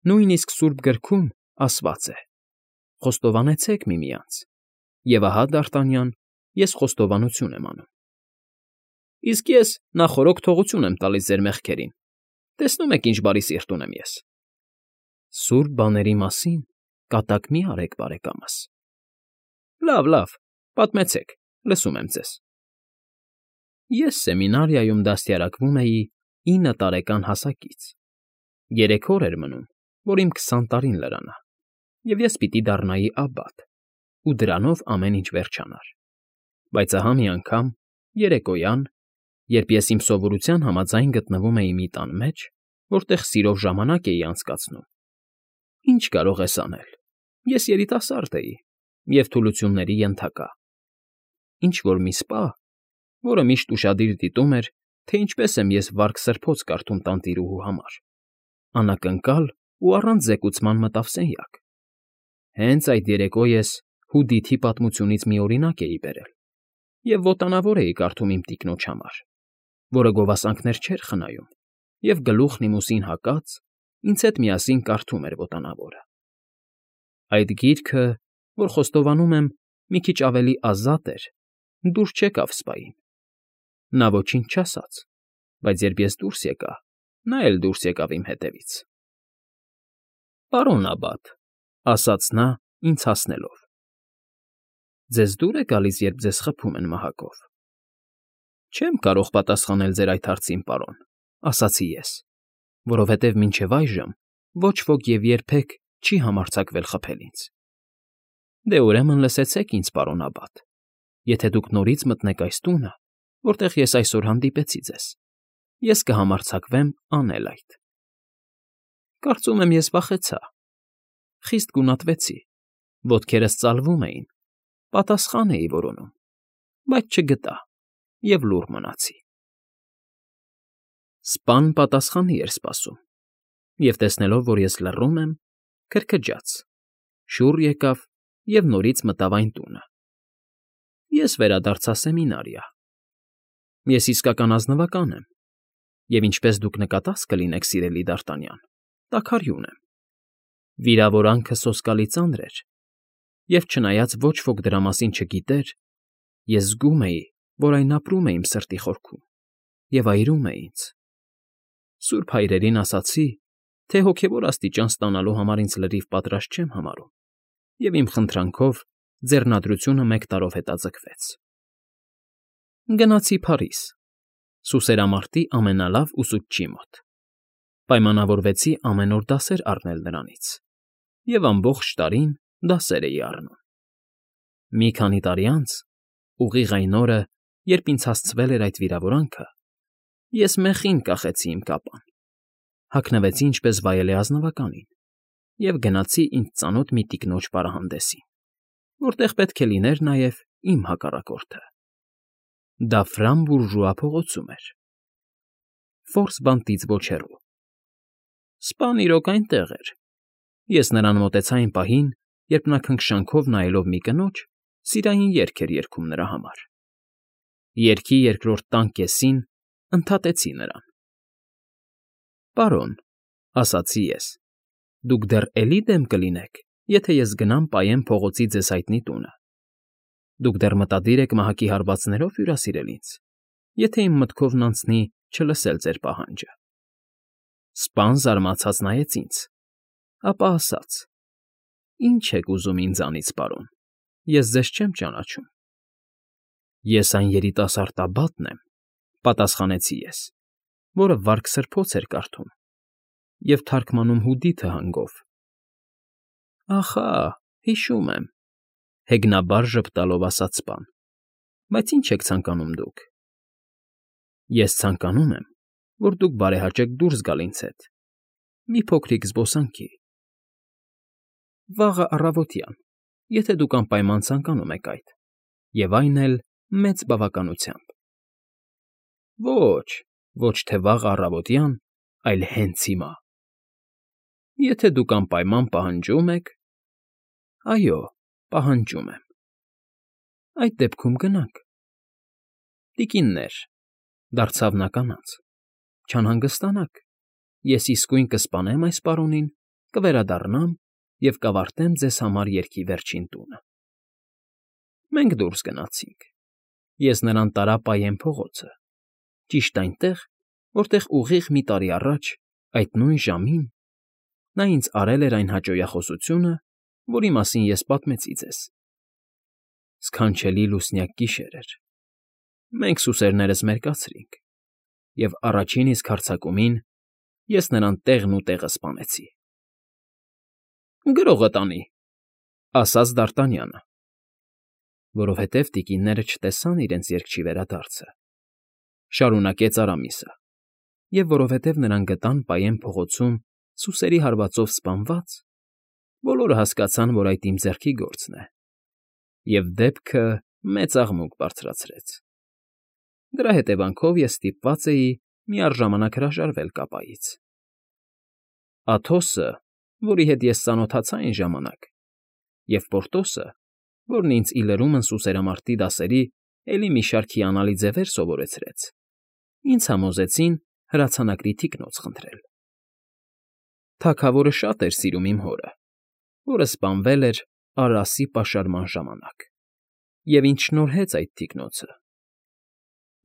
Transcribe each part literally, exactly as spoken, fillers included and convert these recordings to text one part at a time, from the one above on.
Նույնիսկ Սուրբ Գրքում ասված է. «Խոստովանեցեք միմյանց, և ահա, Դարտանյան, ես խոստովանություն եմ անում»։ Իսկ ես նախօրոք թողություն եմ տալիս ձեր մեղքերին, տեսնում եք ինչ բարի սիրտ ունեմ ես։ Սուրբ բաների մասին կատակ մի՛ արեք, բարեկամս։ Լավ, լավ, պատմեցեք, լսում եմ ձեզ։ Ես սեմինարիայում դաստիարակվում էի ինը տարեկան հասակից։ Երեք օր էր մնում, որ իմ քսան տարին լրանա, և ես պիտի դառնայի աբբատ, ու դրանով ամեն ինչ վերջանար։ Բայց ահա մի անգամ, երեկոյան, երբ ես իմ սովորության համաձայն գտնվում էի մի տան մեջ, որտեղ սիրով ժամանակ էի անցկացնում, ինչ կարող ես անել, ես երիտասարդ էի և թուլությունների ենթակա։ Ինչ֊որ մի սպա, որը միշտ ուշադիր դիտում էր, թե ինչպես եմ ես վարք-սրբոց կարդում տանտիրուհու համար, անակնկալ ու առանց զեկուցման մտավ սենյակ։ Հենց այդ երեկո ես Հուդիթի պատմությունից մի օրինակ էի բերել և ոտանավոր էի կարդում իմ տիկնոջ համար, որը գովասանքներ չէր խնայում և գլուխն իմ ուսին հակած, ինձ հետ միասին կարդում էր ոտանավորը։ Այդ գիրքը, որ խոստովանում եմ, մի քիչ ավելի ազատ էր, դուրս չեկավ սպային։ Նա ոչինչ չասաց, բայց երբ ես դուրս եկա, նա էլ դուրս եկավ իմ հետևից։ Պարոն աբբատ, ֊ ասաց նա, ինձ հասնելով, ֊ ձեզ դուր է գալիս, երբ ձեզ խփում են մահակով։ Չեմ կարող պատասխանել ձեր այդ հարցին, պարոն, ֊ ասացի ես, որովհետև մինչև այժմ ոչ ոք և երբեք չի համարձակվել խփել ինձ։ Դե, ուրեմն լսեցեք ինձ, պարոն աբբատ, եթե դուք նորից մտնեք այս տունը, որտեղ ես այսօր հանդիպեցի ձեզ, ես կհամարձակվեմ անել այդ։ Կարծում եմ, ես վախեցա, խիստ գունատվեցի, ոտքերս ծալվում էին, պատասխան էի որոնում, բայց չգտա և լուռ մնացի։ Սպան պատասխանի էր սպասում, և տեսնելով, որ ես լռում եմ, քրքջաց, շուռ եկավ և նորից մտավ այն տունը։ Ես վերադարձա սեմինարիա։ Ես իսկական ազնվական եմ, և ինչպես դուք նկատած կլինեք, սիրելի Դարտանյան, տաքարյուն եմ։ Վիրավորանքը սոսկալի ծանր էր, և չնայած ոչ ոք դրա մասին չգիտեր, ես զգում էի, որ այն ապրում է իմ սրտի խորքում և այրում է ինձ։ Սուրբ Հայրերին ասացի, թե հոգևոր աստիճան ստանալու համար ինձ լրիվ պատրաստ չեմ համարում, և իմ խնդրանքով ձեռնադրությունը մեկ տարով հետաձգվեց։ Գնացի Փարիզ, սուսերամարտի ամենալավ ուսուցչի մոտ, պայմանավորվեցի ամեն օր դասեր առնել նրանից և ամբողջ տարին դասեր էի առնում։ Մի քանի տարի անց, ուղիղ այն օրը, երբ ինձ հասցվել էր այդ վիրավորանքը, ես մեխին կախեցի իմ կապան, հագնվեցի ինչպես վայել է ազնվականին և գնացի ինձ ծանոթ մի տիկնոջ պարահանդեսին, որտեղ պետք է լիներ նաև իմ հակառակորդը։ Դա Ֆրամ֊Բուրժուա փողոցում էր, Ֆորս բանտից ոչ հեռու։ Սպան իրոք այնտեղ էր։ Ես նրան մոտեցա այն պահին, երբ նա քնքշանքով նայելով մի կնոջ, սիրային երգ էր երգում նրա համար։ Երգի երկրորդ տան կեսին ընդհատեցի նրան։ Պարոն, ֊ ասացի ես, ֊ դուք դեռ էլի դեմ կլինեք, եթե ես գնամ պայեմ փողոցի ձեզ հայտնի տունը։ Դուք դեռ մտադիր եք մահակի հարվածներով հյուրասիրել ինձ, եթե իմ մտքովն անցնի չլսել ձեր պահանջը։ Սպան զարմացած նայեց ինձ, ապա ասաց. «Ինչ եք ուզում ինձանից, պարոն, ես ձեզ չեմ ճանաչում»։ Ես այն երիտասարդ աբբատն եմ, ֊ պատասխանեցի ես, որը վարք֊սրբոց էր կարդում և թարգմանում Հուդիթը հանգով։ Ախա, հիշում եմ, ֊ հեգնաբար ժպտալով ասաց սպան, ֊ բայց ինչ եք ցանկանում դուք։ Ես ցանկանում եմ, որ դուք բարեհաճեք դուրս գալ ինձ հետ, մի փոքրիկ զբոսանքի։ Վաղը առավոտյան, եթե դուք անպայման ցանկանում եք այդ, և այն էլ մեծ բավականությամբ։ Ոչ, ոչ թե վաղը առավոտյան, այլ հենց հիմա։ Եթե դուք անպայման պահանջում եք, այո, պահանջում եմ։ Այդ դեպքում գնանք։ Տիկիններ, ֊ դարձավ նա կանանց, ֊ չանհանգստանաք, ես իսկույն կսպանեմ այս պարոնին կվերադառնամ և կավարտեմ ձեզ համար երգի վերջին տունը։ Մենք դուրս գնացինք։ Ես նրան տարա Պայեն փողոցը, ճիշտ այնտեղ, որտեղ ուղիղ մի տարի առաջ, այդ նույն ժամին, նա ինձ արել էր այն հաճոյախոսությունը, որի մասին ես պատմեցի ձեզ։ Սքանչելի լուսնյակ գիշեր էր։ Մենք սուսերներս մերկացրինք, և առաջին իսկ հարձակումին ես նրան տեղն ու տեղը սպանեցի։ ֊ Գրողը տանի,֊ ասաց Դարտանյանը։ Որովհետև տիկինները չտեսան իրենց երգչի վերադարձը,֊ շարունակեց Արամիսը,֊ և որովհետև նրան գտան Պայեն փողոցում սուսերի հարվածով սպանված, բոլորը հասկացան, որ այդ իմ ձեռքի գործն է, և դեպքը մեծ աղմուկ բարձրացրեց։ Դրա հետևանքով ես ստիպված էի միառժամանակ հրաժարվել կապայից։ Աթոսը, որի հետ ես ծանոթացա այն ժամանակ, և Պորտոսը, որն ինձ ի լրումն սուսերամարտի դասերի էլի մի շարք հիանալի ձևեր սովորեցրեց, ինձ համոզեցին հրացանակրի թիկնոց խնդրել։ Թագավորը շատ էր սիրում իմ հորը, որը սպանվել էր Արասի պաշարման ժամանակ, և ինձ շնորհեց այդ թիկնոցը։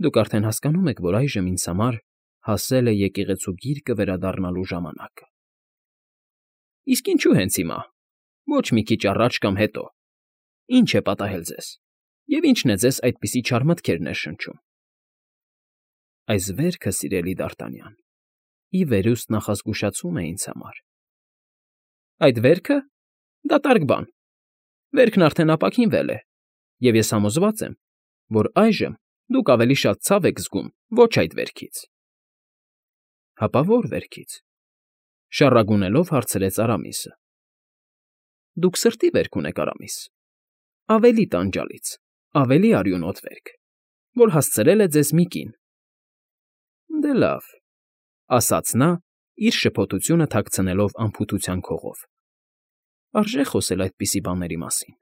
Դուք արդեն հասկանում եք, որ այժմ ինձ համար հասել է եկեղեցու գիրկը վերադառնալու ժամանակը։ Իսկ ինչո՞ւ հենց հիմա, ոչ մի քիչ առաջ կամ հետո, ի՞նչ է պատահել ձեզ, և ի՞նչն է ձեզ այդպիսի չար մտքեր ներշնչում։ Այս վերքը, սիրելի Դարտանյան, ի վերուստ նախազգուշացում է ինձ համար։ Այդ վերքը… դատարկ բան, վերքն արդեն ապաքինվել է, և ես համոզված եմ, որ այժմ դուք ավելի շատ ցավ եք զգում ոչ այդ վերքից։ ֊ Հապա ո՞ր վերքից,֊ շառագունելով հարցրեց Արամիսը։ ֊ Դուք սրտի վերք ունեք, Արամիս, ավելի տանջալից, ավելի արյունոտ վերք, որ հասցրել է ձեզ մի կին։ ֊ Դե լավ,֊ ասաց նա, իր շփոթությունը թաքցնելով անփութության քողով,֊ արժե խոսել այդպիսի բաների մասին։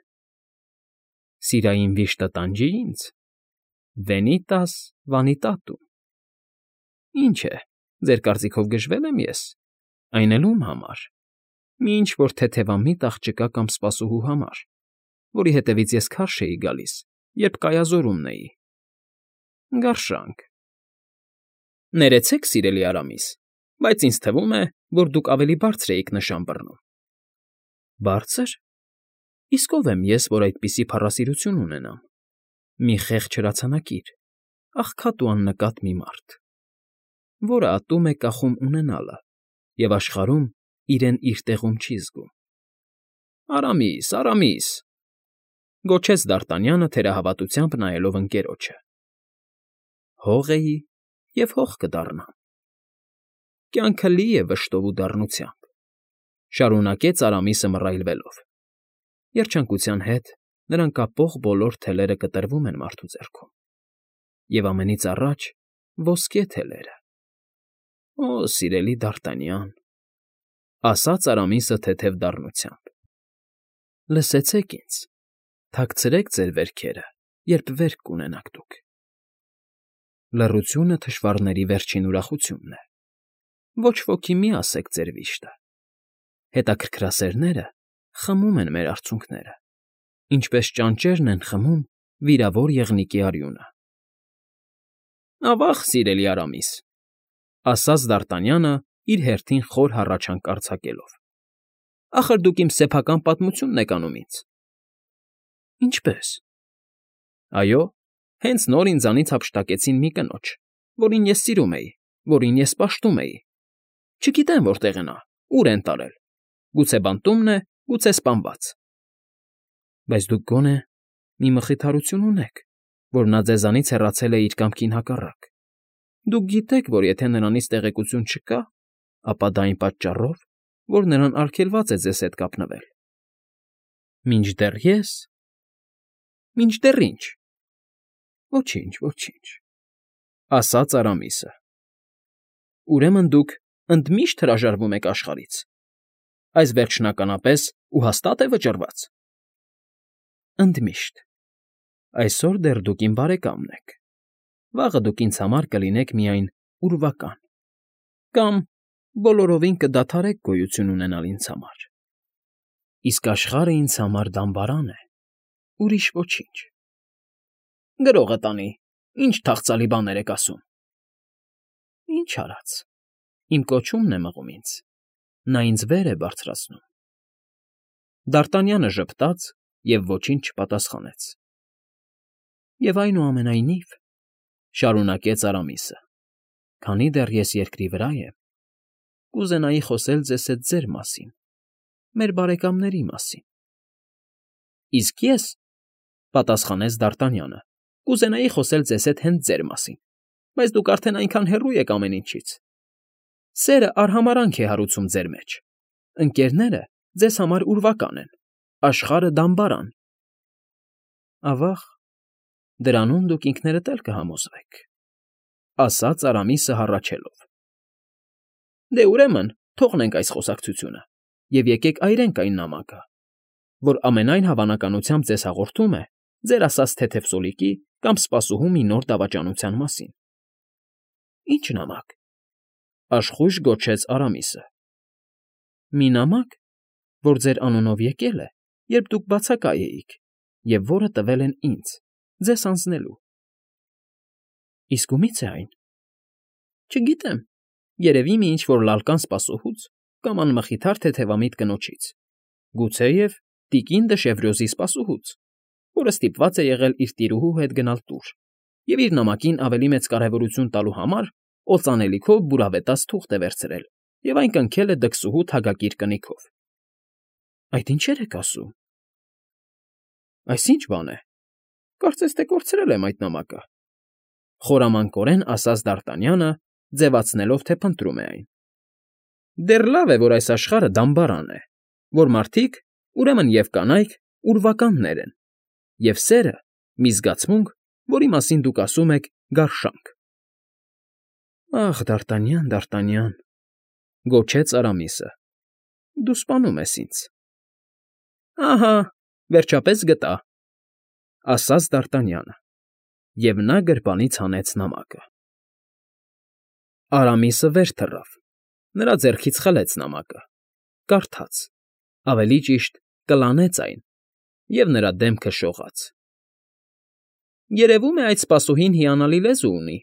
Սիրային վիշտը տանջի ինձ, venitas vanitatum… Ինչ է, ձեր կարծիքով գժվե՞լ եմ ես, այն էլ ում համար, մի ինչ֊որ թեթևամիտ աղջկա կամ սպասուհու համար, որի հետևից ես քարշ էի գալիս, երբ կայազորումն էի… Գարշանք… Ներեցեք, սիրելի Արամիս, բայց ինձ թվում է, որ դուք ավելի բարձր էիք նշան բռնում։ Բարձր… Իսկ ով եմ ես, որ այդպիսի փառասիրություն ունենամ… Մի խեղճ հրացանակիր, աղքատ ու աննկատ մի մարդ, որը ատում է կախում ունենալը և աշխարհում իրեն իր տեղում չի զգում։ ֊ Արամիս, Արամիս,֊ գոչեց Դարտանյանը թերահավատությամբ նայելով ընկերոջը,֊ հող էի և հող կդառնամ։ Կյանքը լի է վշտով ու դառնությամբ,֊ շարունակեց Արամիսը մռայլվելով,֊ երջանկության հետ նրան կապող բոլոր թելերը կտրվում են մարդու ձեռքում, և ամենից առաջ ոսկե թելերը։ Օ, սիրելի Դարտանյան,֊ ասաց Արամիսը թեթև դառնությամբ,֊ լսեցեք ինձ, թաքցրեք ձեր վերքերը, երբ վերք կունենաք դուք։ Լռությունը թշվառների վերջին ուրախությունն է, ոչ ոքի մի ասեք ձեր վիշտը, հետաքրքրասերները խմում են մեր արցունքները, ինչպես ճանճերն են խմում վիրավոր եղնիկի արյունը։ ֊ Ավա՜ղ, սիրելի Արամիս,֊ ասաց Դարտանյանը իր հերթին խոր հառաչանք արձակելով,֊ ախր դուք իմ սեփական պատմությունն եք անում ինձ։ ֊ Ինչպե՞ս։ ֊ Այո, հենց նոր ինձանից հափշտակեցին մի կնոջ, որին ես սիրում էի, որին ես պաշտում էի… Չգիտեմ որտեղ է նա, ուր են տարել, գուցե բանտումն է, գուցե սպանված… ֊ Բայց դուք գոնե մի մխիթարություն ունեք, որ նա ձեզանից հեռացել է իր կամքին հակառակ… Դուք գիտեք, որ եթե նրանից տեղեկություն չկա, ապա դա այն պատճառով, որ նրան արգելված է ձեզ հետ կապնվել… ֊ Մինչդեռ ես… Մինչդեռ ի՞նչ… Ոչինչ, ոչինչ,֊ ասաց Արամիսը։ ֊ Ուրեմն դուք ընդմիշտ հրաժարվում եք աշխարհից… Այս վերջնականապես ու հաստա՞տ է վճռված։ ֊ Ընդմիշտ… Այսօր դեռ դուք իմ բարեկամն եք, վաղը դուք ինձ համար կլինեք միայն ուրվական, կամ, բոլորովին կդադարեք գոյություն ունենալ ինձ համար, իսկ աշխարհը ինձ համար դամբարան է, ուրիշ ոչինչ։ Գրողը տանի, ինչ թախծալի բաներ եք ասում։ Ինչ արած, իմ կոչումն է մղում ինձ, նա ինձ վեր է բարձրացնում։ Դարտանյանը ժպտաց և ոչինչ չպատասխանեց։ Եվ այնուամենայնիվ, շարունակեց Արամիսը, քանի դեռ ես երկրի վրա եմ, կուզենայի խոսել ձեզ հետ ձեր մասին, մեր բարեկամների մասին։ Իսկ ես, պատասխանեց Դարտանյանը, կուզենայի խոսել ձեզ հետ հենց ձեր մասին, բայց դուք արդեն այնքան հեռու եք ամեն ինչից։ Սերը արհամարհանք է հարուցում ձեր մեջ, ընկերները ձեզ համար ուրվական են, աշխարհը դամբարան։ Ավա՜ղ, դրանում դուք ինքներդ էլ կհամոզվեք, ասաց Արամիսը հառաչելով։ Դե ուրեմն թողնենք այս խոսակցությունը և եկեք այրենք այն նամակը, որ ամենայն հավանականությամբ ձեզ հաղորդում է ձեր ասած թեթև սոլիկի կամ սպասուհու մի նոր դավաճանության մասին։ Ի՞նչ նամակ, աշխույժ գոչեց Արամիսը։ Մի նամակ, որ ձեր անունով եկել է, երբ դուք բացակայ էիք, և որը տվել են ինձ, ձեզ հանձնելու։ Իսկ ումի՞ց է այն։ Չգիտեմ, երևի մի ինչ֊որ լալկան սպասուհուց կամ անմխիթար թեթևամիտ կնոջից, գուցեև տիկին Դշևրյոզի սպասուհուց, որը ստիպված է եղել իր տիրուհու հետ գնալ տուր և իր նամակին ավելի մեծ կարևորություն տալու համար օծանելիքով բուրավետաց թուղթ է վերցրել և այն կնքել է դքսուհու թագակիր կնիքով։ Այդ ինչեր եք ասում։ Այս ի՞նչ բան է, կարծես թե կորցրել եմ այդ նամակը, խորամանկորեն ասաց Դարտանյանը, ձևացնելով, թե փնտրում է այն։ Դեռ լավ է, որ այս աշխարհը դամբարան է, որ մարդիկ, ուրեմն և կանայք, ուրվականներ են, և սերը՝ մի զգացմունք, որի մասին դուք ասում եք գարշանք։ Ախ, Դարտանյան, Դարտանյան, գոչեց Արամիսը, դու սպանում ես ինձ։ Ահա, վերջապես գտա, ասաց Դարտանյանը, և նա գրպանից հանեց նամակը։ Արամիսը վեր թռավ, նրա ձեռքից խլեց նամակը, կարդաց, ավելի ճիշտ կլանեց այն, և նրա դեմքը շողաց։ Երևում է, այդ սպասուհին հիանալի լեզու ունի,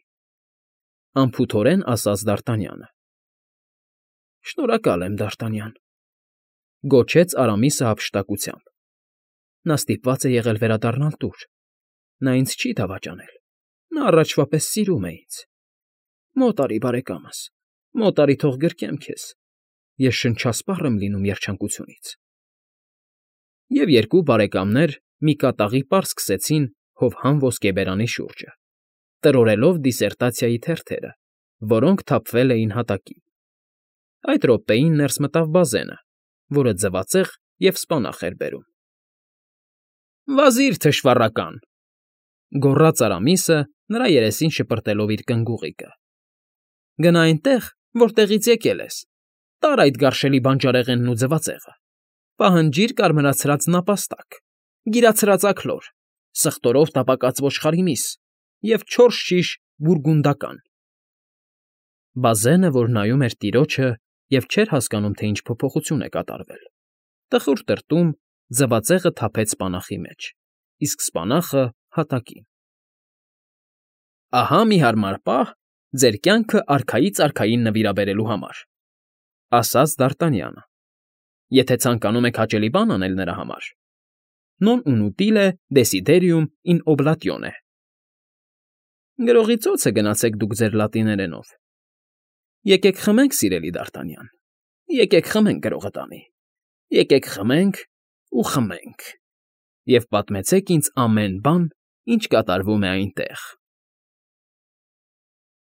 անփութորեն ասաց Դարտանյանը։ Շնորհակալ եմ, Դարտանյան, գոչեց Արամիսը հափշտակությամբ։ Նա ստիպված է եղել վերադառնալ տուր, նա ինձ չի դավաճանել, նա առաջվա պես սիրում է ինձ։ Մոտ արի, բարեկամս, մոտ արի, թող գրկեմ քեզ, ես շնչասպառ եմ լինում երջանկությունից։ Եվ երկու բարեկամներ մի կատաղի պար սկսեցին հովհան ոսկեբերանի շուրջը, տրորելով դիսերտացիայի թերթերը, որոնք թափվել էին հատակին։ Այդ րոպեին ներս մտավ Բազենը, որը ձվածեղ և սպանախ էր բերում։ Վազիր, թշվառական, գոռաց Արամիսը, նրա երեսին շպրտելով իր կնգուղիկը։ Գնա այնտեղ, որտեղից եկել ես, տար այդ գարշելի բանջարեղենն ու ձվածեղը, պահանջիր կարմրացրած նապաստակ, գիրացրած աքլոր, սխտորով տապակած ոչխարի միս և չորս շիշ բուրգունդական։ Բազենը, որ նայում էր տիրոջը և չէր հասկանում, թե ինչ փոփոխություն է կատարվել, տխուր տրտում ձվածեղը թափեց սպանախի մեջ, իսկ սպանախը հատակին։ Ահա մի հարմար պահ ձեր կյանքը արքայից արքային նվիրաբերելու համար, ասաց Դարտանյանը, եթե ցանկանում եք հաճելի բան անել նրա համար, non inutile desiderium in oblatione։ Գրողի ծոցը գնացեք դուք ձեր լատիներենով։ Եկեք խմենք, սիրելի Դարտանյան, եկեք խմենք գրողը տանի, եկեք խմենք ու խմենք, և պատմեցեք ինձ ամեն բան, ինչ կատարվում է այնտեղ։